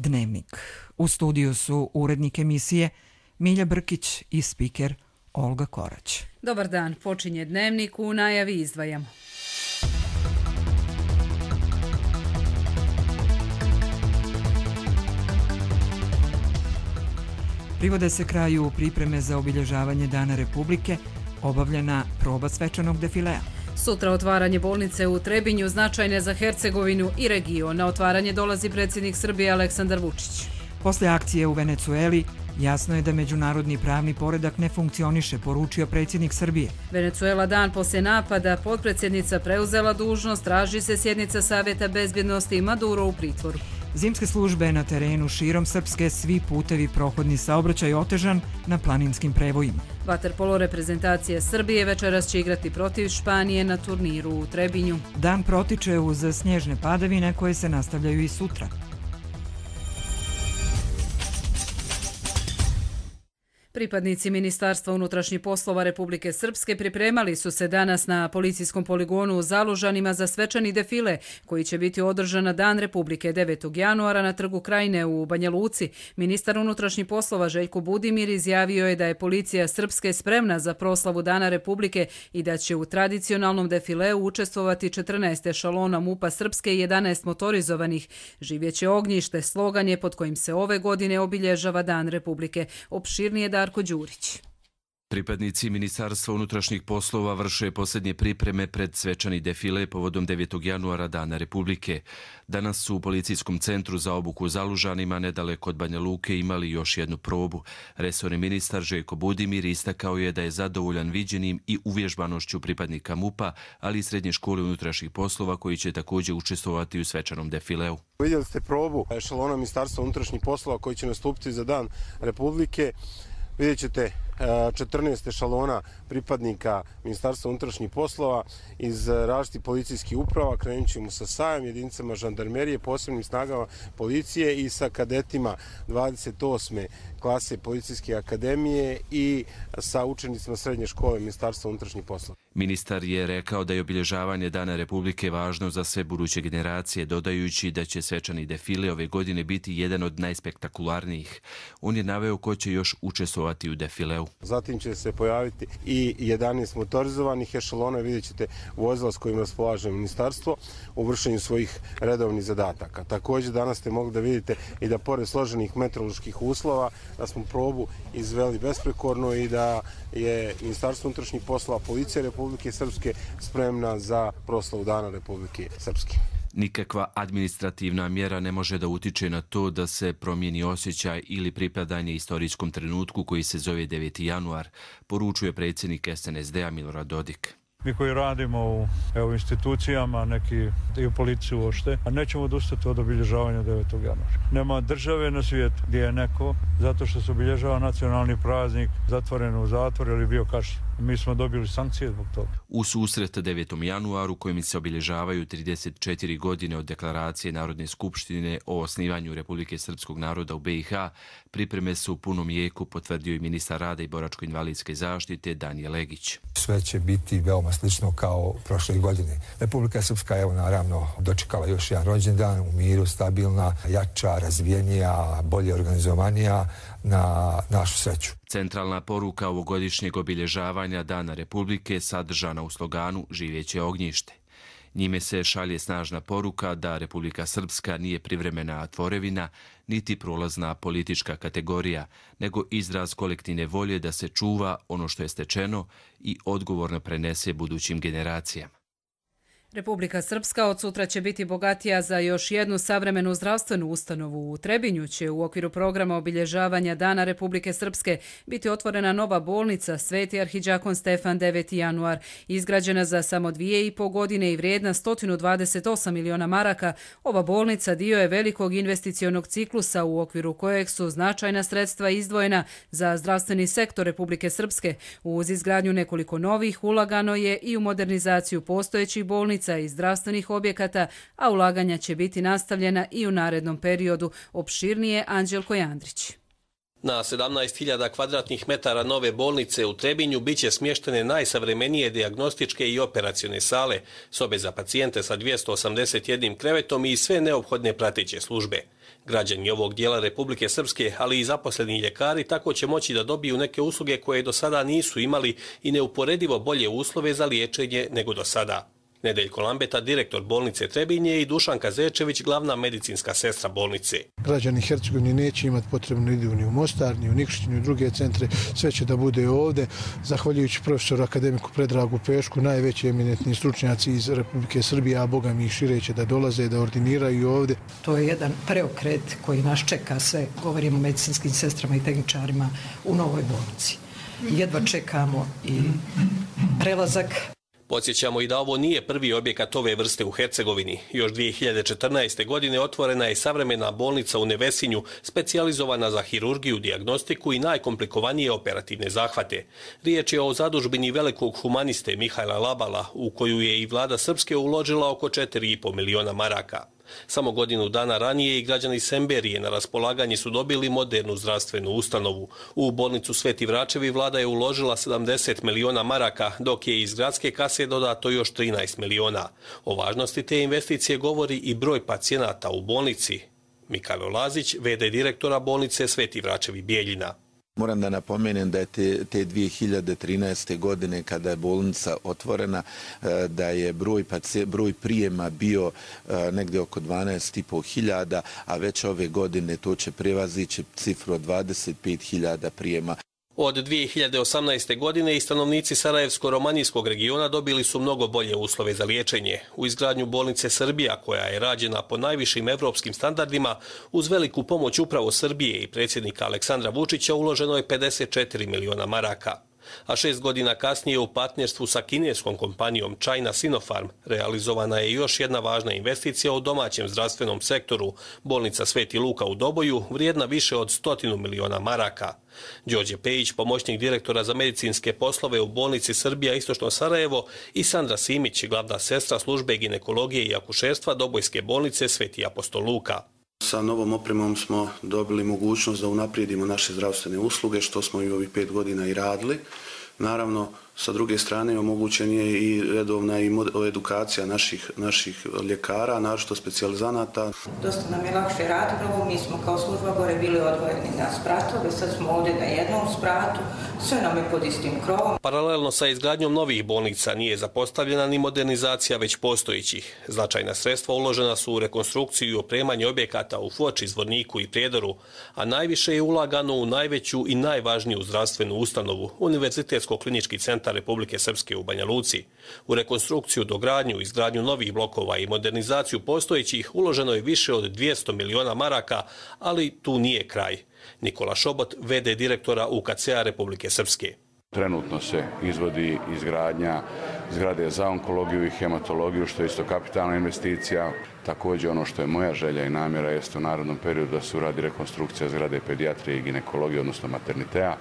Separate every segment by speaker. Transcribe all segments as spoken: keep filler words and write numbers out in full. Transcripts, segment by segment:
Speaker 1: Dnevnik. U studiju su urednik emisije Milja Brkić i spiker Olga Korać.
Speaker 2: Dobar dan, počinje Dnevnik, u najavi izdvajamo.
Speaker 1: Privode se kraju pripreme za obilježavanje Dana Republike, obavljena proba svečanog defilea.
Speaker 2: Sutra otvaranje bolnice u Trebinju, značajne za Hercegovinu i region. Na otvaranje dolazi predsjednik Srbije Aleksandar Vučić.
Speaker 1: Posle akcije u Venecueli, jasno je da međunarodni pravni poredak ne funkcioniše, poručio predsjednik Srbije.
Speaker 2: Venecuela dan poslije napada, potpredsjednica preuzela dužnost, traži se sjednica Savjeta bezbjednosti i Maduro u pritvoru.
Speaker 1: Zimske službe na terenu širom Srpske, svi putevi, prohodni saobraćaj otežan na planinskim prevojima.
Speaker 2: Vaterpolo reprezentacije Srbije večeras će igrati protiv Španije na turniru u Trebinju.
Speaker 1: Dan protiče uz snježne padavine koje se nastavljaju i sutra.
Speaker 2: Pripadnici Ministarstva unutrašnjih poslova Republike Srpske pripremali su se danas na policijskom poligonu u Zalužanima za svečani defile koji će biti održan na Dan Republike devetog januara na Trgu Krajine u Banja Luci. Ministar unutrašnjih poslova Željko Budimir izjavio je da je policija Srpske spremna za proslavu Dana Republike i da će u tradicionalnom defileu učestvovati četrnaest ešalona MUP-a Srpske i jedanaest motorizovanih. Živjeće ognjište, slogan je pod kojim se ove godine obilježava Dan Republike. Opširnije Darko Đurić.
Speaker 3: Pripadnici Ministarstva unutrašnjih poslova vrše posljednje pripreme pred svečani defile povodom devetog januara Dana Republike. Danas su u policijskom centru za obuku u Zalužanima nedaleko od Banja Luke imali još jednu probu. Resorni ministar Željko Budimir istakao je da je zadovoljan viđenim i uvježbanošću pripadnika MUP-a, ali i Srednje škole unutrašnjih poslova koji će također učestvovati u svečanom defileu.
Speaker 4: Vidjeli ste probu ešalona Ministarstva unutrašnjih poslova koji će nastupiti za Dan Republike. Vidjet ćete četrnaest ešalona pripadnika Ministarstva unutrašnjih poslova iz različitih policijskih uprava. Krenut ćemo sa S A J-em, jedinicama žandarmerije, posebnim snagama policije i sa kadetima dvadeset osme klase Policijske akademije i sa učenicima Srednje škole Ministarstva unutrašnjih poslova.
Speaker 3: Ministar je rekao da je obilježavanje Dana Republike važno za sve buduće generacije, dodajući da će svečani defile ove godine biti jedan od najspektakularnijih. On je naveo ko će još učestvovati u defileu.
Speaker 4: Zatim će se pojaviti i jedanaest motorizovanih ešalona, vidjet ćete vozila s kojima raspolaže ministarstvo u vršenju svojih redovnih zadataka. Također danas ste mogli da vidite i da pored složenih meteoroloških uslova da smo probu izveli besprekorno i da je Ministarstvo unutrašnjih poslova, Policija Republike Srpske spremna za proslavu Dana Republike Srpske.
Speaker 3: Nikakva administrativna mjera ne može da utiče na to da se promijeni osjećaj ili pripadanje istorijskom trenutku koji se zove deveti januar, poručuje predsjednik S N S D-a Milorad Dodik.
Speaker 5: Mi koji radimo u evo, institucijama, neki i u policiji uopšte, a nećemo odustati od obilježavanja devetog januara. Nema države na svijetu gdje je neko, zato što se obilježava nacionalni praznik, zatvoren u zatvor ili bio kažnjen. Mi smo dobili sankcije zbog toga.
Speaker 3: U susret devetom januaru kojim se obilježavaju trideset četiri godine od deklaracije Narodne skupštine o osnivanju Republike Srpskog naroda u B i H, pripreme su u punom jeku, potvrdio i ministar rada i boračko-invalidske zaštite Danijel Legić.
Speaker 6: Sve će biti veoma slično kao prošle godine. Republika Srpska je naravno dočekala još jedan rođendan u miru, stabilna, jača, razvijenija, bolje organizovanija na našu sreću.
Speaker 3: Centralna poruka ovogodišnjeg obilježavanja Dana Republike sadržana u sloganu Živjeće ognjište. Njime se šalje snažna poruka da Republika Srpska nije privremena tvorevina, niti prolazna politička kategorija, nego izraz kolektivne volje da se čuva ono što je stečeno i odgovorno prenese budućim generacijama.
Speaker 2: Republika Srpska od sutra će biti bogatija za još jednu savremenu zdravstvenu ustanovu. U Trebinju će u okviru programa obilježavanja Dana Republike Srpske biti otvorena nova bolnica Sveti arhidžakon Stefan deveti januar. Izgrađena za samo dvije i po godine i vrijedna sto dvadeset osam miliona maraka, ova bolnica dio je velikog investicionog ciklusa u okviru kojeg su značajna sredstva izdvojena za zdravstveni sektor Republike Srpske. Uz izgradnju nekoliko novih ulagano je i u modernizaciju postojećih bolnica i zdravstvenih objekata, a ulaganja će biti nastavljena i u narednom periodu. Opširnije Anđelko Jandrić.
Speaker 7: Na sedamnaest hiljada kvadratnih metara nove bolnice u Trebinju biće smještene najsavremenije dijagnostičke i operacione sale, sobe za pacijente sa dvjesto osamdeset jednim krevetom i sve neophodne prateće službe. Građani ovog dijela Republike Srpske, ali i zaposleni ljekari, tako će moći da dobiju neke usluge koje do sada nisu imali i neuporedivo bolje uslove za liječenje nego do sada. Nedeljko Lambeta, direktor bolnice Trebinje, i Dušanka Zečević, glavna medicinska sestra bolnice.
Speaker 8: Građani Hercegovine neće imati potrebno idu ni u Mostar, ni u Nikšić, ni u druge centre, sve će da bude ovdje. Zahvaljujući profesoru akademiku Predragu Pešku, najveći eminentni stručnjaci iz Republike Srbije, a boga mi i šire će da dolaze, da ordiniraju ovdje.
Speaker 9: To je jedan preokret koji nas čeka sve, govorimo o medicinskim sestrama i tehničarima u novoj bolnici. Jedva čekamo i prelazak.
Speaker 7: Podsjećamo i da ovo nije prvi objekat ove vrste u Hercegovini. Još dvije hiljade četrnaeste. godine otvorena je savremena bolnica u Nevesinju, specijalizovana za hirurgiju, dijagnostiku i najkomplikovanije operativne zahvate. Riječ je o zadužbini velikog humaniste Mihajla Labala, u koju je i vlada Srpske uložila oko četiri i po miliona maraka. Samo godinu dana ranije i građani Semberije na raspolaganje su dobili modernu zdravstvenu ustanovu. U bolnicu Sveti Vračevi vlada je uložila sedamdeset miliona maraka, dok je iz gradske kase dodato još trinaest miliona. O važnosti te investicije govori i broj pacijenata u bolnici. Mikajlo Lazić, ve de direktora bolnice Sveti Vračevi Bijeljina.
Speaker 10: Moram da napomenem da je te, te dvije hiljade trinaeste. godine kada je bolnica otvorena, da je broj, broj prijema bio negdje oko dvanaest i po hiljada, a već ove godine to će prevazići cifru od dvadeset pet hiljada prijema.
Speaker 7: Od dvije hiljade osamnaeste. godine i stanovnici Sarajevsko-romanijskog regiona dobili su mnogo bolje uslove za liječenje. U izgradnju bolnice Srbija, koja je rađena po najvišim evropskim standardima, uz veliku pomoć upravo Srbije i predsjednika Aleksandra Vučića, uloženo je pedeset četiri miliona maraka. A šest godina kasnije u partnerstvu sa kineskom kompanijom China Sinopharm realizovana je još jedna važna investicija u domaćem zdravstvenom sektoru, bolnica Sveti Luka u Doboju, vrijedna više od stotinu miliona maraka. Đorđe Pejić, pomoćnik direktora za medicinske poslove u bolnici Srbija Istočno Sarajevo, i Sandra Simić, glavna sestra službe ginekologije i akušerstva Dobojske bolnice Sveti Apostol Luka.
Speaker 11: Sa novom opremom smo dobili mogućnost da unaprijedimo naše zdravstvene usluge, što smo i ovih pet godina i radili. Naravno, sa druge strane omogućen je i redovna i edukacija naših, naših ljekara, naročito specijalizanata.
Speaker 12: Dosta nam je lakše raditi, mi smo kao služba gore bili odvojeni na spratove, sad smo ovdje na jednom spratu, sve nam je pod istim krovom.
Speaker 7: Paralelno sa izgradnjom novih bolnica nije zapostavljena ni modernizacija već postojićih. Značajna sredstva uložena su u rekonstrukciju i opremanje objekata u Foči, Zvorniku i Prijedoru, a najviše je ulagano u najveću i najvažniju zdravstvenu ustanovu, Univerzitetsko-klinički centar Republike Srpske u Banja Luci. U rekonstrukciju, dogradnju, izgradnju novih blokova i modernizaciju postojećih uloženo je više od dvjesto miliona maraka, ali tu nije kraj. Nikola Šobot, ve de direktora U K C-a Republike Srpske.
Speaker 13: Trenutno se izvodi izgradnja zgrade za onkologiju i hematologiju, što je isto kapitalna investicija. Također ono što je moja želja i namjera jeste u narednom periodu da se uradi rekonstrukcija zgrade pedijatrije i ginekologije, odnosno maternitea,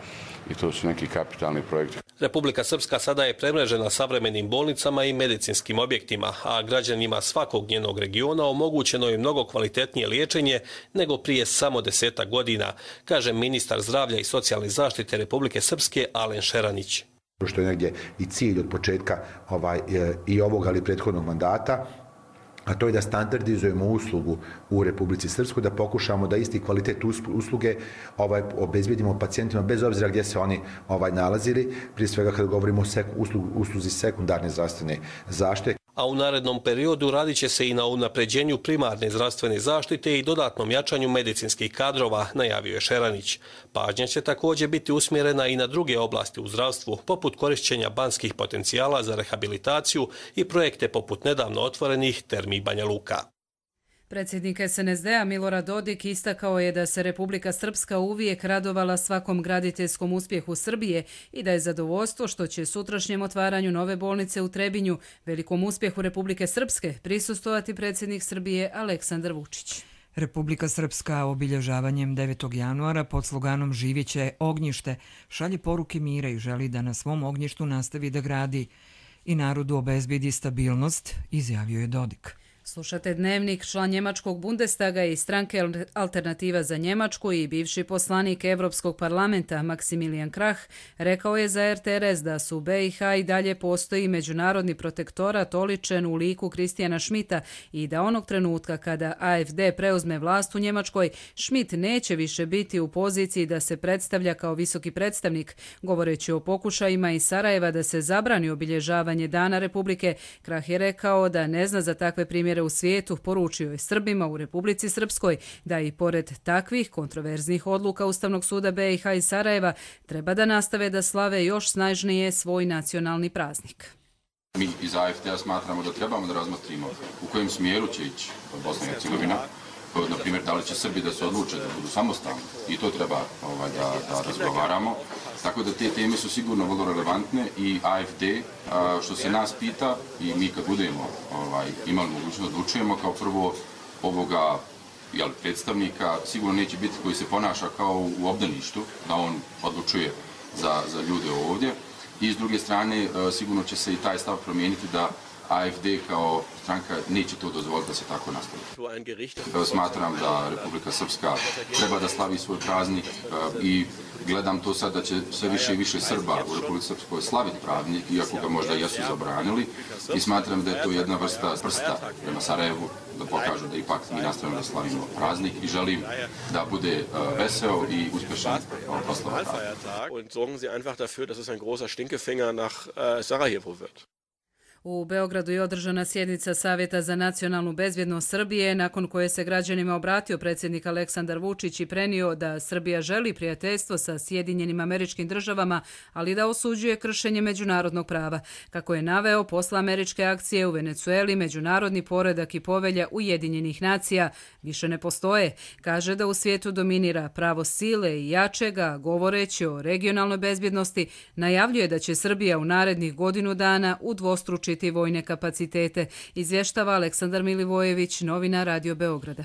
Speaker 13: i to su neki kapitalni projekti.
Speaker 7: Republika Srpska sada je premrežena savremenim bolnicama i medicinskim objektima, a građanima svakog njenog regiona omogućeno je mnogo kvalitetnije liječenje nego prije samo desetak godina, kaže ministar zdravlja i socijalne zaštite Republike Srpske Alen Šeranić.
Speaker 14: Što je negdje i cilj od početka ovaj, i ovog, ali prethodnog mandata, a to je da standardizujemo uslugu u Republici Srpskoj, da pokušamo da isti kvalitet usluge ovaj, obezbedimo pacijentima bez obzira gdje se oni ovaj, nalazili, prije svega kada govorimo o seku, uslugu, usluzi sekundarne zdravstvene zaštite.
Speaker 7: A u narednom periodu radit će se i na unapređenju primarne zdravstvene zaštite i dodatnom jačanju medicinskih kadrova, najavio je Šeranić. Pažnja će također biti usmjerena i na druge oblasti u zdravstvu, poput korišćenja banskih potencijala za rehabilitaciju i projekte poput nedavno otvorenih Termi Banja Luka.
Speaker 2: Predsjednik es en es de-a Milorad Dodik istakao je da se Republika Srpska uvijek radovala svakom graditeljskom uspjehu Srbije i da je zadovoljstvo što će sutrašnjem otvaranju nove bolnice u Trebinju, velikom uspjehu Republike Srpske, prisustvovati predsjednik Srbije Aleksandar Vučić.
Speaker 1: Republika Srpska obilježavanjem devetog januara pod sloganom Živjeće ognjište šalje poruke mira i želi da na svom ognjištu nastavi da gradi i narodu obezbedi stabilnost, izjavio je Dodik.
Speaker 2: Slušate Dnevnik, član njemačkog Bundestaga i stranke Alternativa za Njemačku i bivši poslanik Evropskog parlamenta Maximilian Krah rekao je za R T R S da su B i H i dalje postoji međunarodni protektorat oličen u liku Kristijana Schmidta i da onog trenutka kada A F D preuzme vlast u Njemačkoj, Schmidt neće više biti u poziciji da se predstavlja kao visoki predstavnik. Govoreći o pokušajima iz Sarajeva da se zabrani obilježavanje Dana Republike, Krah je rekao da ne zna za takve primjere u svijetu, poručio je Srbima u Republici Srpskoj da i pored takvih kontroverznih odluka Ustavnog suda B i H i Sarajeva treba da nastave da slave još snažnije svoj nacionalni praznik.
Speaker 15: Mi iz A F D-a smatramo da trebamo da razmotrimo u kojem smjeru će ići Bosna i Hercegovina. Na primjer, da li će Srbi da se odluče da budu samostalni i to treba ovaj, da, da razgovaramo. Tako da te teme su sigurno vrlo relevantne i A F D, a, što se nas pita i mi kad budemo ovaj, imali mogućnost da odlučujemo kao prvo ovoga jel, predstavnika, sigurno neće biti koji se ponaša kao u obdaništu, da on odlučuje za, za ljude ovdje. I s druge strane, sigurno će se i taj stav promijeniti da A F D kao stranka neće to dozvoliti da se tako nastavi. Smatram da Republika Srpska treba da slavi svoj praznik i gledam to sad da će sve više i više Srba u Republici Srpskoj slaviti praznik, iako ga možda jesu zabranili. I smatram da je to jedna vrsta prsta prema Sarajevu, da pokažu da ipak mi nastavimo da slavimo praznik i želim da bude veseo i uspješan proslava praznika.
Speaker 16: Und sorgen Sie einfach dafür, dass es ein großer Stinkefinger nach Sarajevo wird.
Speaker 2: U Beogradu je održana sjednica Savjeta za nacionalnu bezbjednost Srbije, nakon koje se građanima obratio predsjednik Aleksandar Vučić i prenio da Srbija želi prijateljstvo sa Sjedinjenim Američkim Državama, ali da osuđuje kršenje međunarodnog prava. Kako je naveo, posle američke akcije u Venecueli, međunarodni poredak i povelja Ujedinjenih nacija više ne postoje. Kaže da u svijetu dominira pravo sile i jačega, govoreći o regionalnoj bezbjednosti, najavljuje da će Srbija u narednih godinu dana udvostručiti vojne kapacitete, izvještava Aleksandar Milivojević, novina Radio Beograda.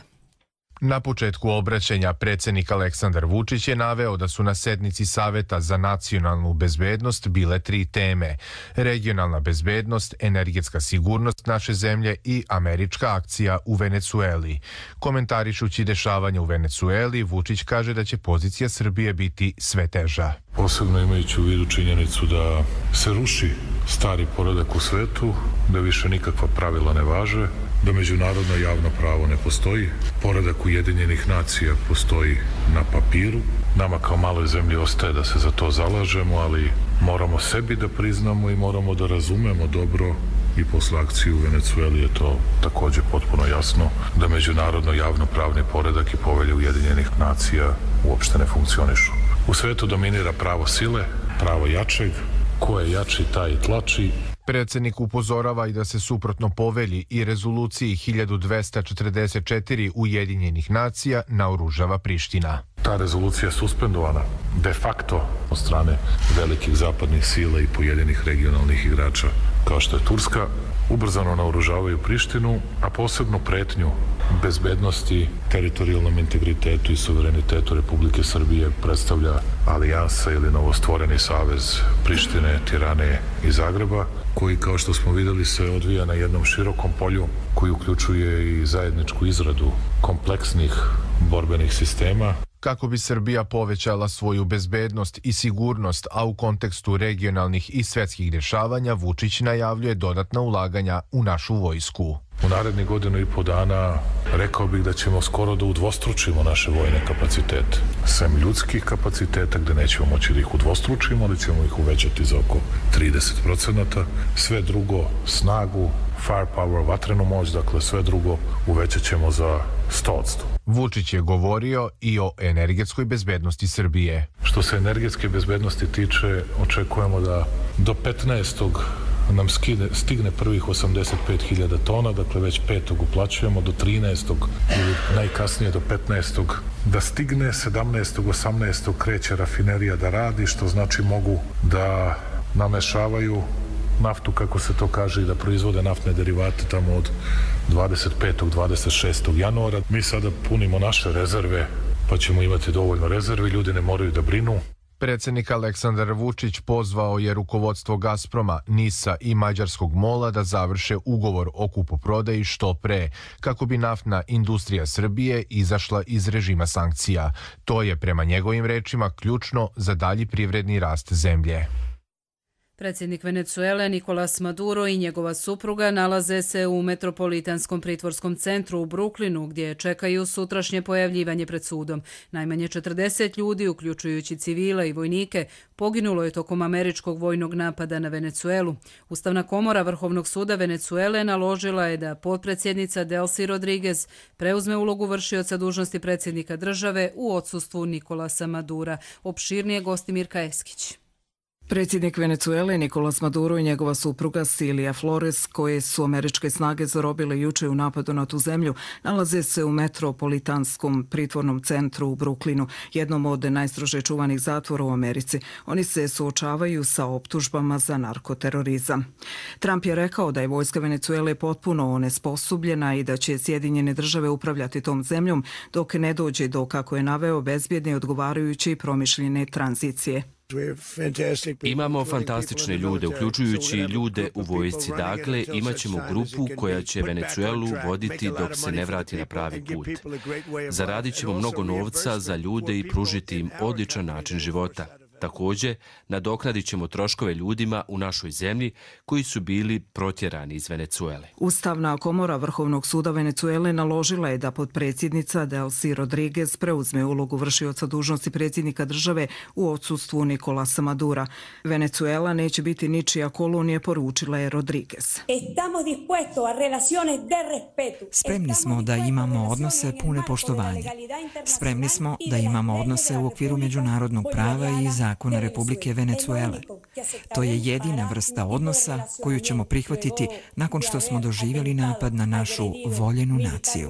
Speaker 17: Na početku obraćanja predsjednik Aleksandar Vučić je naveo da su na sednici Saveta za nacionalnu bezbednost bile tri teme: regionalna bezbednost, energetska sigurnost naše zemlje i američka akcija u Venecueli. Komentarišući dešavanje u Venecueli, Vučić kaže da će pozicija Srbije biti sve teža.
Speaker 18: Posebno imajući u vidu činjenicu da se ruši stari poredak u svetu, da više nikakva pravila ne važe, da međunarodno javno pravo ne postoji, poredak Ujedinjenih nacija postoji na papiru. Nama kao maloj zemlji ostaje da se za to zalažemo, ali moramo sebi da priznamo i moramo da razumemo dobro, i posle akcije u Venecueli je to također potpuno jasno, da međunarodno javno-pravni poredak i povelje Ujedinjenih nacija uopšte ne funkcionišu. U svetu dominira pravo sile, pravo jačeg, ko je jači taj i tlači.
Speaker 17: Predsjednik upozorava i da se suprotno povelji i rezoluciji hiljadu dvesta četrdeset četiri Ujedinjenih nacija naoružava Priština.
Speaker 18: Ta rezolucija je suspendovana de facto od strane velikih zapadnih sila i pojedinih regionalnih igrača kao što je Turska. Ubrzano naoružavaju Prištinu, a posebno pretnju bezbednosti, teritorijalnom integritetu i suverenitetu Republike Srbije predstavlja alijansa ili novostvoreni savez Prištine, Tirane i Zagreba, koji, kao što smo vidjeli, se odvija na jednom širokom polju koji uključuje i zajedničku izradu kompleksnih borbenih sistema.
Speaker 17: Kako bi Srbija povećala svoju bezbednost i sigurnost, a u kontekstu regionalnih i svjetskih dešavanja, Vučić najavljuje dodatna ulaganja u našu vojsku.
Speaker 18: U narednih godinu i po dana rekao bih da ćemo skoro da udvostručimo naše vojne kapacitete. Sem ljudskih kapaciteta gde nećemo moći da ih udvostručimo, ali ćemo ih uvećati za oko trideset procenata. Sve drugo, snagu, firepower, vatrenu moć, dakle sve drugo uvećat ćemo za sto posto.
Speaker 17: Vučić je govorio i o energetskoj bezbednosti Srbije.
Speaker 18: Što se energetske bezbednosti tiče, očekujemo da do petnaestog nam skide, stigne prvih osamdeset pet hiljada tona, dakle već petog uplaćujemo, do trinaestog ili najkasnije do petnaestog da stigne, sedamnaestog osamnaestog kreće rafinerija da radi, što znači mogu da namešavaju naftu, kako se to kaže, i da proizvode naftne derivate tamo od dvadeset petog dvadeset šestog januara. Mi sada punimo naše rezerve, pa ćemo imati dovoljno rezervi, ljudi ne moraju da brinu.
Speaker 17: Predsjednik Aleksandar Vučić pozvao je rukovodstvo Gazproma, Nisa i mađarskog MOL-a da završe ugovor o kupoprodaji što pre, kako bi naftna industrija Srbije izašla iz režima sankcija. To je, prema njegovim rečima, ključno za dalji privredni rast zemlje.
Speaker 2: Predsjednik Venecuele Nicolas Maduro i njegova supruga nalaze se u Metropolitanskom pritvorskom centru u Brooklynu, gdje čekaju sutrašnje pojavljivanje pred sudom. Najmanje četrdeset ljudi, uključujući civile i vojnike, poginulo je tokom američkog vojnog napada na Venecuelu. Ustavna komora Vrhovnog suda Venecuele naložila je da potpredsjednica Delcy Rodriguez preuzme ulogu vršioca dužnosti predsjednika države u odsustvu Nicolasa Madura. Opširnije Gostimirka Eskić.
Speaker 9: Predsjednik Venecuele Nicolas Maduro i njegova supruga Cilia Flores, koje su američke snage zarobile juče u napadu na tu zemlju, nalaze se u Metropolitanskom pritvornom centru u Brooklynu, jednom od najstrože čuvanih zatvora u Americi. Oni se suočavaju sa optužbama za narkoterorizam. Trump je rekao da je vojska Venecuele potpuno onesposobljena i da će Sjedinjene države upravljati tom zemljom dok ne dođe do, kako je naveo, bezbjedne, odgovarajuće i promišljene tranzicije.
Speaker 3: Imamo fantastične ljude, uključujući ljude u vojsci. Dakle, imat ćemo grupu koja će Venecuelu voditi dok se ne vrati na pravi put. Zaradit ćemo mnogo novca za ljude i pružiti im odličan način života. Također, nadoknadit ćemo troškove ljudima u našoj zemlji koji su bili protjerani iz Venecuele.
Speaker 9: Ustavna komora Vrhovnog suda Venecuele naložila je da potpredsjednica Delcy Rodriguez preuzme ulogu vršioca dužnosti predsjednika države u odsustvu Nicolasa Madura. Venecuela neće biti ničija kolonija, poručila je Rodriguez.
Speaker 1: Spremni smo da imamo odnose pune poštovanja. Spremni smo da imamo odnose u okviru međunarodnog prava i zakona Republike Venecuele. To je jedina vrsta odnosa koju ćemo prihvatiti nakon što smo doživjeli napad na našu voljenu naciju.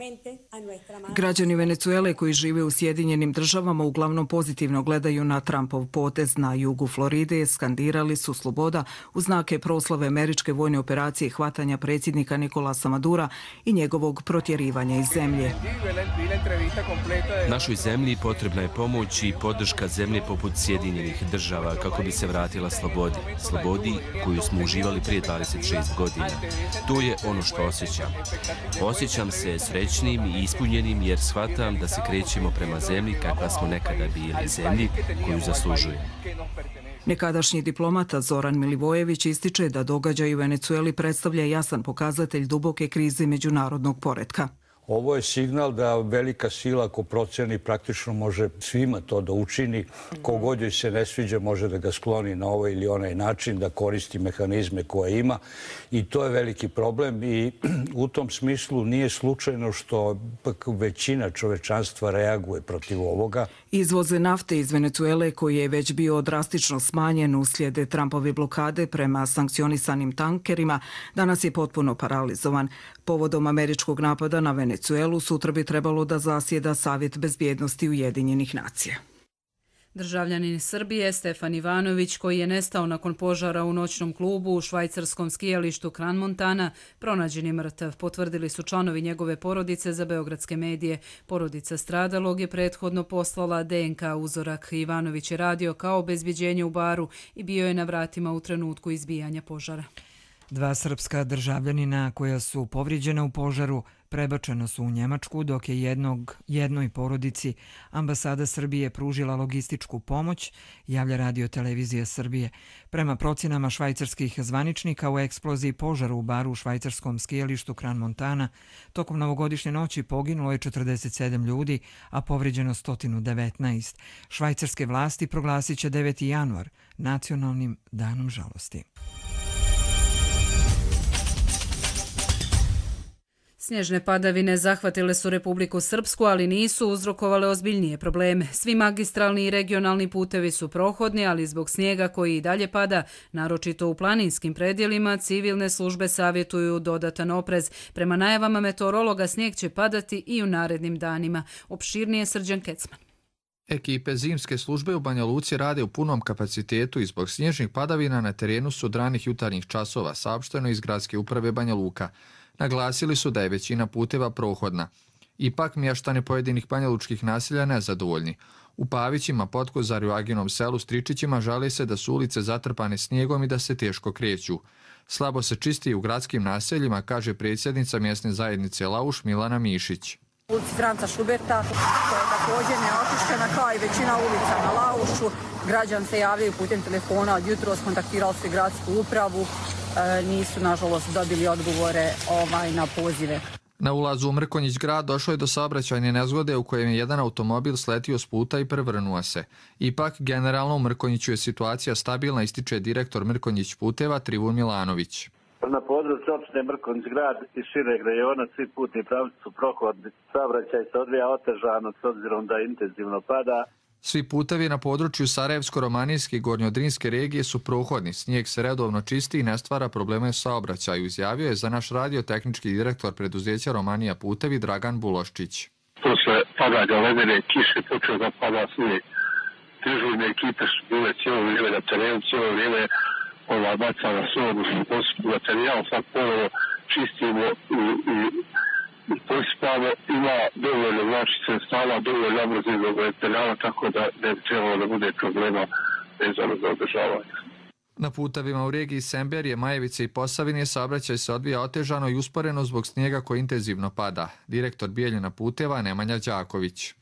Speaker 9: Građani Venecuele koji žive u Sjedinjenim državama uglavnom pozitivno gledaju na Trumpov potez na jugu Floride, skandirali su sloboda u znake proslave američke vojne operacije hvatanja predsjednika Nicolasa Madura i njegovog protjerivanja iz zemlje.
Speaker 3: Našoj zemlji potrebna je pomoć i podrška zemlje poput Sjedinjenih država kako bi se vratila slobodi. Slobodi koju smo uživali prije dvadeset šest godina. To je ono što osjećam. Osjećam se srećnim i ispunjenim jer shvatam da se krećemo prema zemlji kakva smo nekada bili, zemlji koju zaslužujemo.
Speaker 9: Nekadašnji diplomata Zoran Milivojević ističe da događaj u Venecueli predstavlja jasan pokazatelj duboke krize međunarodnog poretka.
Speaker 19: Ovo je signal da velika sila, ako proceni, praktično može svima to da učini. Kogod joj se ne sviđa može da ga skloni na ovaj ili onaj način, da koristi mehanizme koje ima. I to je veliki problem i u tom smislu nije slučajno što većina čovečanstva reaguje protiv ovoga.
Speaker 9: Izvoze nafte iz Venecuele, koji je već bio drastično smanjen uslijed Trumpove blokade prema sankcionisanim tankerima, danas je potpuno paralizovan. Povodom američkog napada na Venecuelu sutra bi trebalo da zasjeda Savjet bezbjednosti Ujedinjenih nacija.
Speaker 2: Državljanin Srbije Stefan Ivanović, koji je nestao nakon požara u noćnom klubu u švajcarskom skijalištu Kran Montana, pronađen je mrtav, potvrdili su članovi njegove porodice za beogradske medije. Porodica stradalog je prethodno poslala D N K uzorak. Ivanović je radio kao obezbjeđenje u baru i bio je na vratima u trenutku izbijanja požara.
Speaker 1: Dva srpska državljanina koja su povrijeđena u požaru prebačena su u Njemačku, dok je jednog, jednoj porodici ambasada Srbije pružila logističku pomoć, javlja Radio Televizija Srbije. Prema procjenama švajcarskih zvaničnika, u eksploziji požara u baru u švajcarskom skijalištu Kran Montana tokom novogodišnje noći poginulo je četrdeset sedam ljudi, a povrijeđeno sto devetnaest. Švajcarske vlasti proglasit će deveti januar nacionalnim danom žalosti.
Speaker 2: Snježne padavine zahvatile su Republiku Srpsku, ali nisu uzrokovale ozbiljnije probleme. Svi magistralni i regionalni putevi su prohodni, ali zbog snijega koji i dalje pada, naročito u planinskim predjelima, civilne službe savjetuju dodatan oprez. Prema najavama meteorologa snijeg će padati i u narednim danima. Opširnije Srđan Kecman.
Speaker 20: Ekipe zimske službe u Banja Luci rade u punom kapacitetu i zbog snježnih padavina na terenu su od ranih jutarnjih časova, saopšteno iz Gradske uprave Banja Luka. Naglasili su da je većina puteva prohodna. Ipak mještani pojedinih banjalučkih naselja nezadovoljni. U Pavićima, Potkozarju, Aginom selu, Stričićima žale se da su ulice zatrpane snijegom i da se teško kreću. Slabo se čisti u gradskim naseljima, kaže predsjednica mjesne zajednice Lauš Milana Mišić.
Speaker 21: Ulici Franca Šuberta, koja je također neočišćena kao i većina ulica na Laušu. Građani se javljaju putem telefona, od jutros kontaktirali se gradsku upravu, e, nisu nažalost dobili odgovore ovaj, na pozive.
Speaker 20: Na ulazu u Mrkonjić grad došlo je do saobraćajne nezgode u kojem je jedan automobil sletio s puta i prevrnuo se. Ipak, generalno u Mrkonjiću je situacija stabilna, ističe direktor Mrkonjić puteva Trivun Milanović.
Speaker 22: Na području opštine Mrkonjić grad i šireg rejona svi putni pravci su prohodni. Saobraćaj se odvija otežano s obzirom da intenzivno pada.
Speaker 20: Svi putevi na području Sarajevsko-romanijske i Gornjodrinske regije su prohodni. Snijeg se redovno čisti i ne stvara probleme u saobraćaju, izjavio je za naš radio tehnički direktor preduzeća Romanija putevi Dragan Buloščić.
Speaker 23: Posle padanja ledene kiše počeo da pada snijeg. Dežurne ekipe su bile cijelo vrijeme na terenu, cijelo vrijeme ova bacala sodu, pospu materijal, sad ponovo čistimo i, i pospamo, ima dovoljno znači sredstava, dovoljno nabrzivnog materijala, tako da ne bi trebalo da bude problema vezano za održavanje.
Speaker 20: Na putevima u regiji Semberije, Majevice i Posavine saobraćaj se odvija otežano i usporeno zbog snijega koji intenzivno pada. Direktor Bijeljina puteva Nemanja Đaković.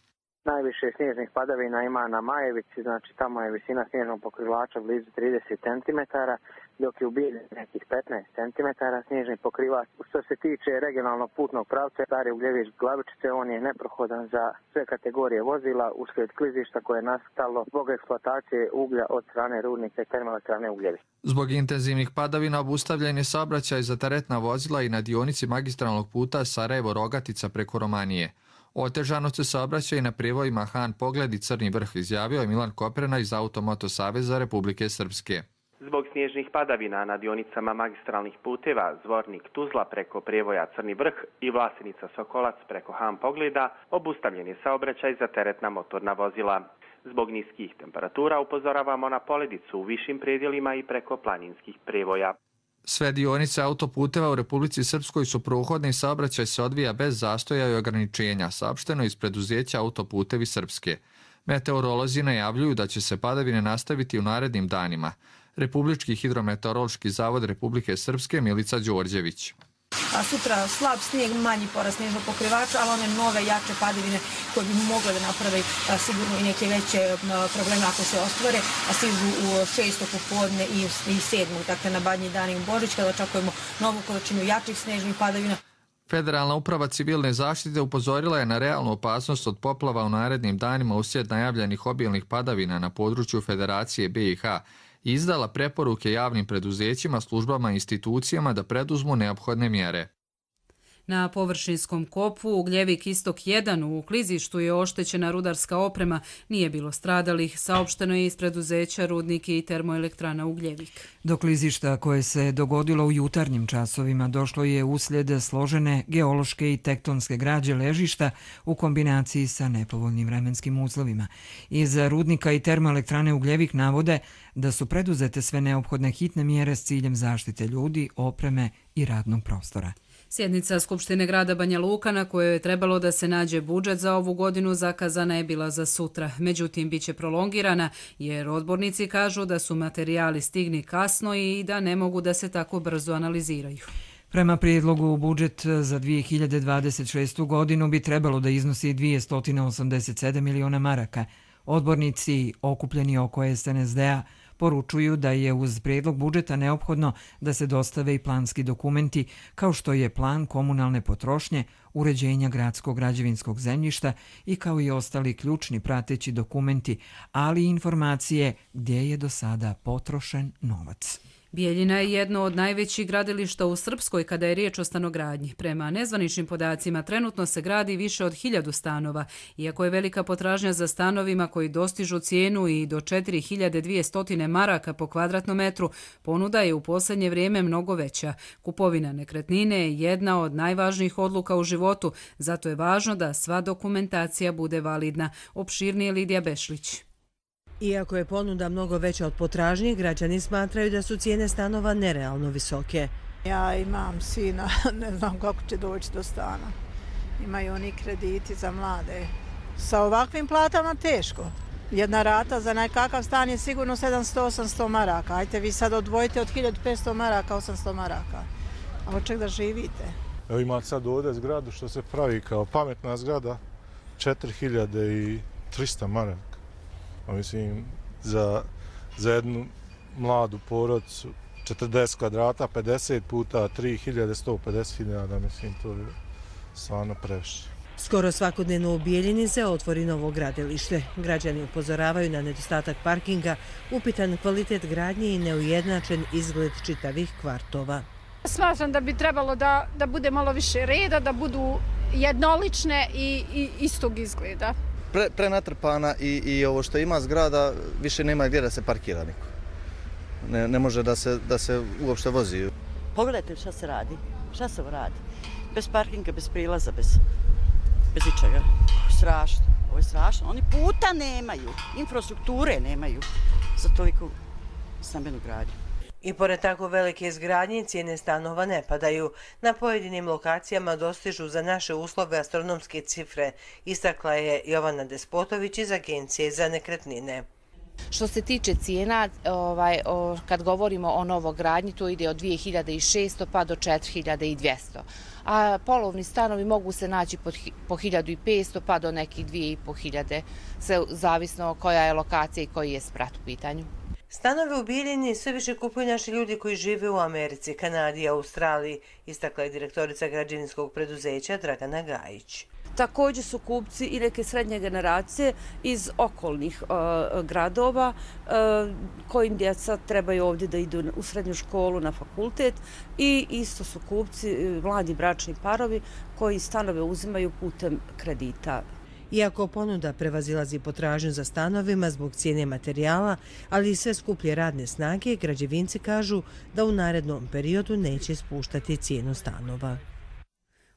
Speaker 24: Najviše snježnih padavina ima na Majevici, znači tamo je visina snježnog pokrivača blizu trideset centimetara, dok je u Bijeljini nekih petnaest centimetara snježni pokrivač. Što se tiče regionalnog putnog pravca, Stari Ugljević-Glavičice, on je neprohodan za sve kategorije vozila uslijed klizišta koje je nastalo zbog eksploatacije uglja od strane rudnika i termoelektrane Ugljević.
Speaker 20: Zbog intenzivnih padavina obustavljen je saobraćaj za teretna vozila i na dionici magistralnog puta Sarajevo-Rogatica preko Romanije. Otežano se saobraća i na prijevojima Han Pogled i Crni Vrh, izjavio je Milan Koprena iz Automoto Saveza Republike Srpske.
Speaker 25: Zbog snježnih padavina na dionicama magistralnih puteva Zvornik Tuzla preko prijevoja Crni Vrh i Vlasenica Sokolac preko Han Pogleda obustavljen je saobraćaj za teretna motorna vozila. Zbog niskih temperatura upozoravamo na poledicu u višim predjelima i preko planinskih prijevoja.
Speaker 20: Sve dionice autoputeva u Republici Srpskoj su prohodne i saobraćaj se odvija bez zastoja i ograničenja, saopšteno iz preduzeća Autoputevi Srpske. Meteorolozi najavljuju da će se padavine nastaviti u narednim danima. Republički hidrometeorološki zavod Republike Srpske Milica Đorđević.
Speaker 26: A sutra slab snijeg, manji porast snježnog pokrivača, ali one nove jače padavine koje bi mogle da naprave a, sigurno i neke veće a, probleme ako se ostvare, a stižu u šestog popodne i, i sedmog, dakle na Badnji dan i u Božić, kada očekujemo novu količinu jačih snježnih padavina.
Speaker 20: Federalna uprava civilne zaštite upozorila je na realnu opasnost od poplava u narednim danima uslijed najavljenih obilnih padavina na području Federacije B i H i izdala preporuke javnim preduzećima, službama i institucijama da preduzmu neophodne mjere.
Speaker 2: Na površinskom kopu Ugljevik Istok jedan u klizištu je oštećena rudarska oprema, nije bilo stradalih, saopšteno je iz preduzeća Rudniki i termoelektrana Ugljevik.
Speaker 1: Do klizišta koje se dogodilo u jutarnjim časovima došlo je uslijed složene geološke i tektonske građe ležišta u kombinaciji sa nepovoljnim vremenskim uslovima. Iz Rudnika i termoelektrane Ugljevik navode da su preduzete sve neophodne hitne mjere s ciljem zaštite ljudi, opreme i radnog prostora.
Speaker 2: Sjednica Skupštine grada Banja Luka na kojoj je trebalo da se nađe budžet za ovu godinu zakazana je bila za sutra. Međutim, bit će prolongirana jer odbornici kažu da su materijali stigni kasno i da ne mogu da se tako brzo analiziraju.
Speaker 1: Prema prijedlogu, budžet za dvije hiljade dvadeset šestu godinu bi trebalo da iznosi dvjesto osamdeset sedam miliona maraka. Odbornici okupljeni oko S N S D-a poručuju da je uz prijedlog budžeta neophodno da se dostave i planski dokumenti kao što je plan komunalne potrošnje, uređenja gradskog građevinskog zemljišta i kao i ostali ključni prateći dokumenti, ali i informacije gdje je do sada potrošen novac.
Speaker 2: Bijeljina je jedno od najvećih gradilišta u Srpskoj kada je riječ o stanogradnji. Prema nezvaničnim podacima trenutno se gradi više od hiljadu stanova. Iako je velika potražnja za stanovima koji dostižu cijenu i do četiri hiljade dvjesto maraka po kvadratnom metru, ponuda je u posljednje vrijeme mnogo veća. Kupovina nekretnine je jedna od najvažnijih odluka u životu, zato je važno da sva dokumentacija bude validna. Opširnije Lidija Bešlić.
Speaker 27: Iako je ponuda mnogo veća od potražnje, građani smatraju da su cijene stanova nerealno visoke.
Speaker 28: Ja imam sina, ne znam kako će doći do stana. Imaju oni krediti za mlade
Speaker 4: Sa ovakvim platama teško. Jedna rata za nekakav stan je sigurno sedamsto do osamsto maraka. Ajte vi sad odvojite od hiljadu petsto maraka, osamsto maraka. A od čeg da živite?
Speaker 18: Evo imate sad ovdje zgradu što se pravi kao pametna zgrada, četiri hiljade trista maraka. A mislim, za, za jednu mladu porodicu četrdeset kvadrata, pedeset puta tri hiljade, sto pedeset hiljada, mislim, to je stvarno previše.
Speaker 27: Skoro svakodnevno u Bijeljini se otvori novo gradilište. Građani upozoravaju na nedostatak parkinga, upitan kvalitet gradnje i neujednačen izgled čitavih kvartova.
Speaker 5: Smatram da bi trebalo da, da bude malo više reda, da budu jednolične i, i istog izgleda.
Speaker 6: Pre, prenatrpana i, i ovo što ima zgrada, više nema gdje da se parkira niko. Ne, ne može da se, da se uopšte vozi.
Speaker 8: Pogledajte šta se radi, šta se radi. Bez parkinga, bez prilaza, bez, bez ičega. Strašno, ovo je strašno. Oni puta nemaju, infrastrukture nemaju za toliko stambenu gradnju.
Speaker 27: I pored tako velike izgradnje, cijene stanova ne padaju. Na pojedinim lokacijama dostižu za naše uslove astronomske cifre, istakla je Jovana Despotović iz Agencije za nekretnine.
Speaker 10: Što se tiče cijena, ovaj, o, kad govorimo o novogradnji, to ide od dvije hiljade šesto pa do četiri hiljade dvjesto. A polovni stanovi mogu se naći pod, po hiljadu petsto pa do nekih dvije i po hiljade, sve zavisno koja je lokacija i koji je sprat u pitanju.
Speaker 27: Stanove u Bijeljini sve više kupuju naši ljudi koji žive u Americi, Kanadi i Australiji, istakla je direktorica građevinskog preduzeća Dragana Gajić.
Speaker 11: Također su kupci i neke srednje generacije iz okolnih uh, gradova uh, kojim djeca trebaju ovdje da idu u srednju školu, na fakultet, i isto su kupci mladi bračni parovi koji stanove uzimaju putem kredita.
Speaker 27: Iako ponuda prevazilazi potražnju za stanovima zbog cijene materijala, ali i sve skuplje radne snage, građevinci kažu da u narednom periodu neće spuštati cijenu stanova.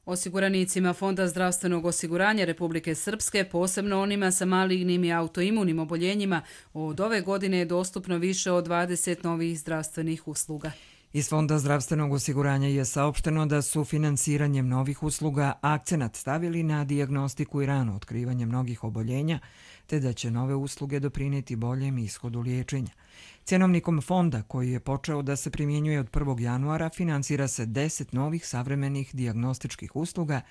Speaker 2: Osiguranicima Fonda zdravstvenog osiguranja Republike Srpske, posebno onima sa malignim i autoimunim oboljenjima, od ove godine je dostupno više od dvadeset novih zdravstvenih usluga.
Speaker 1: Iz Fonda zdravstvenog osiguranja je saopšteno da su finansiranjem novih usluga akcenat stavili na dijagnostiku i rano otkrivanje mnogih oboljenja, te da će nove usluge doprinijeti boljem ishodu liječenja. Cjenovnikom fonda, koji je počeo da se primjenjuje od prvog januara, finansira se deset novih savremenih dijagnostičkih usluga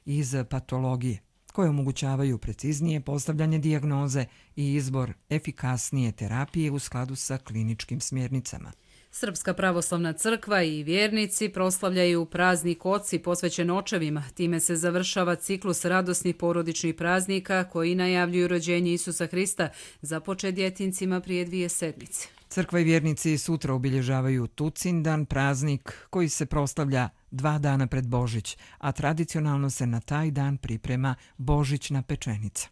Speaker 1: iz patologije, koje omogućavaju preciznije postavljanje dijagnoze i izbor efikasnije terapije u skladu sa kliničkim smjernicama.
Speaker 2: Srpska pravoslavna crkva i vjernici proslavljaju praznik Oci posvećen očevima. Time se završava ciklus radosnih porodičnih praznika koji najavljuju rođenje Isusa Hrista, započet djetincima prije dvije sedmice.
Speaker 1: Crkva i vjernici sutra obilježavaju Tucindan, praznik koji se proslavlja dva dana pred Božić, a tradicionalno se na taj dan priprema božićna pečenica.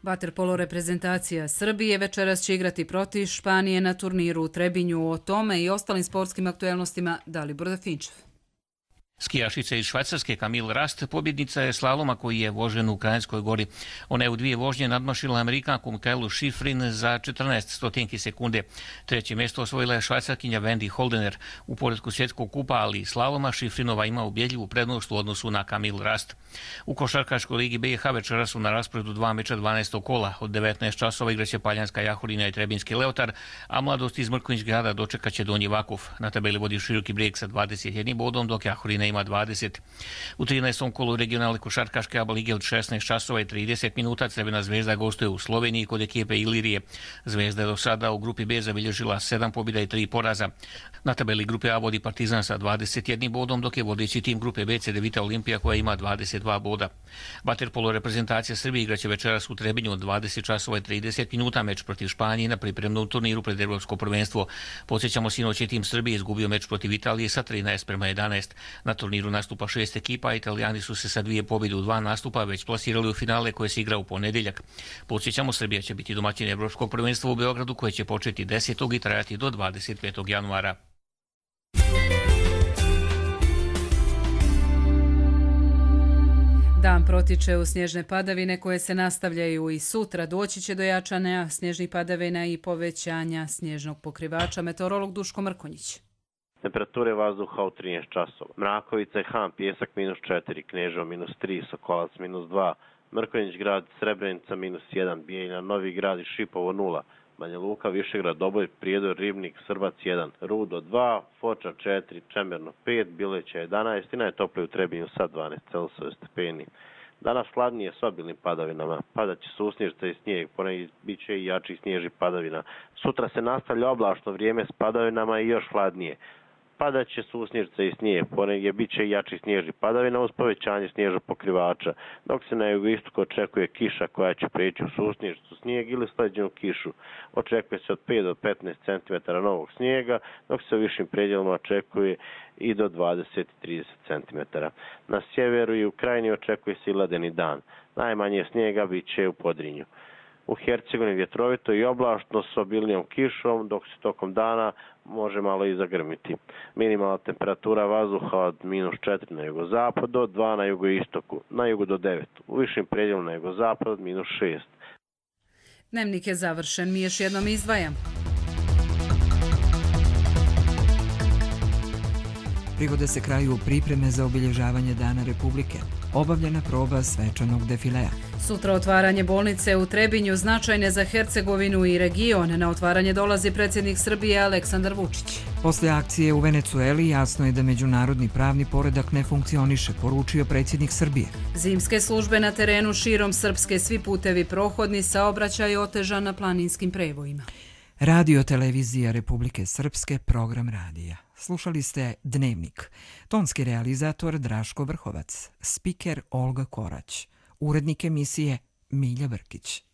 Speaker 2: Vaterpolo reprezentacija Srbije večeras će igrati protiv Španije na turniru u Trebinju. O tome i ostalim sportskim aktuelnostima Dalibor Dafinčev.
Speaker 12: Skijašica iz Švajcarske Camille Rast pobjednica je slaloma koji je vožen u Kranjskoj gori. Ona je u dvije vožnje nadmašila Amerikanku Mikaelu Schifrin za četrnaest stotinki sekunde. Treće mjesto osvojila je Švajcarkinja Wendy Holdener. U poretku svjetskog kupa, ali i slaloma, Šifrinova ima ubjedljivu prednost u odnosu na Camille Rast. U košarkaškoj ligi B i H večera su na rasporedu dva meča dvanaestog kola. Od devetnaest časova igraće Paljanska Jahorina i Trebinski Leotar, a Mladost iz Mrkonjić Grada dočekaće Donji Vakuf. Na tabeli vodi Široki Brijeg sa dvadeset jednim bodom, dok Jahorina ima dvadeset. U trinaestom kolu regionalne košarkaške A B A lige od šesnaest časova i trideset minuta Crvena zvezda gostuje u Sloveniji kod ekipe Ilirije. Zvezda je do sada u grupi B zabilježila sedam pobjeda i tri poraza. Na tabeli grupe A vodi Partizan sa dvadeset jednim bodom, dok je vodeći tim grupe B Cedevita Olimpija koja ima dvadeset dva boda. Vaterpolo reprezentacija Srbije igraće večeras u Trebinju od dvadeset časova i trideset minuta meč protiv Španije na pripremnom turniru pred Evropsko prvenstvo. Podsjećamo, sinoć je tim Srbije izgubio meč protiv Italije sa trinaest prema jedanaest. Na turniru nastupa šest ekipa, a Italijani su se sa dvije pobjede u dva nastupa već plasirali u finale koje se igra u ponedjeljak. Podsjećamo, Srbija će biti domaćin Evropskog prvenstva u Beogradu koje će početi desetog i trajati do dvadeset petog januara.
Speaker 2: Dan protiče u snježne padavine koje se nastavljaju i sutra. Doći će do jačanja snježnih padavina i povećanja snježnog pokrivača. Meteorolog Duško Mrkonjić.
Speaker 3: Temperature vazduha u trinaest časova. Mrakovica i Han, Pjesak minus četiri, Kneževo minus tri, Sokolac minus dva, Mrkonjić grad, Srebrenica minus jedan, Bijeljina, Novi grad i Šipovo nula, Banja Luka, Višegrad, Doboj, Prijedor, Ribnik, Srbac jedan, Rudo dva, Foča četiri, Čemerno pet, Bileća jedanaest i najtoplije u Trebinju sa dvanaest Celzijusovih stepeni. Danas hladnije s obilnim padavinama. Padaće susnježica i snijeg, ponegdje bit će i jači snjež i padavina. Sutra se nastavlja oblačno vrijeme s padavinama i još hladnije. Padaće susnježica i snijeg, ponegdje bit će i jači snjež i padavina uz povećanje snježa pokrivača, dok se na jugoistoku očekuje kiša koja će preći u susnježicu, snijeg ili sleđenu kišu. Očekuje se od pet do petnaest centimetara novog snijega, dok se u višim predjelima očekuje i do dvadeset do trideset centimetara. Na sjeveru i u krajini očekuje se i ledeni dan. Najmanje snijega bit će u Podrinju. U Hercegovini vjetrovito i oblačno s obilnijom kišom, dok se tokom dana može malo i zagrmiti. Minimalna temperatura vazduha od minus četiri na jugozapad do dva na jugoistoku, na jugu do devet. U višim predjelima na jugozapad od minus šest.
Speaker 2: Dnevnik je završen, mi još jednom izdvajam.
Speaker 1: Privode se kraju pripreme za obilježavanje Dana Republike. Obavljena proba svečanog defilea.
Speaker 2: Sutra otvaranje bolnice u Trebinju, značajne za Hercegovinu i region. Na otvaranje dolazi predsjednik Srbije Aleksandar Vučić.
Speaker 1: Posle akcije u Venecueli jasno je da međunarodni pravni poredak ne funkcioniše, poručio predsjednik Srbije.
Speaker 2: Zimske službe na terenu širom Srpske, svi putevi prohodni, saobraćaj otežan na planinskim prevojima.
Speaker 1: Radio televizija Republike Srpske, program radija. Slušali ste Dnevnik. Tonski realizator Draško Vrhovac, spiker Olga Korać, urednik emisije Milja Vrkić.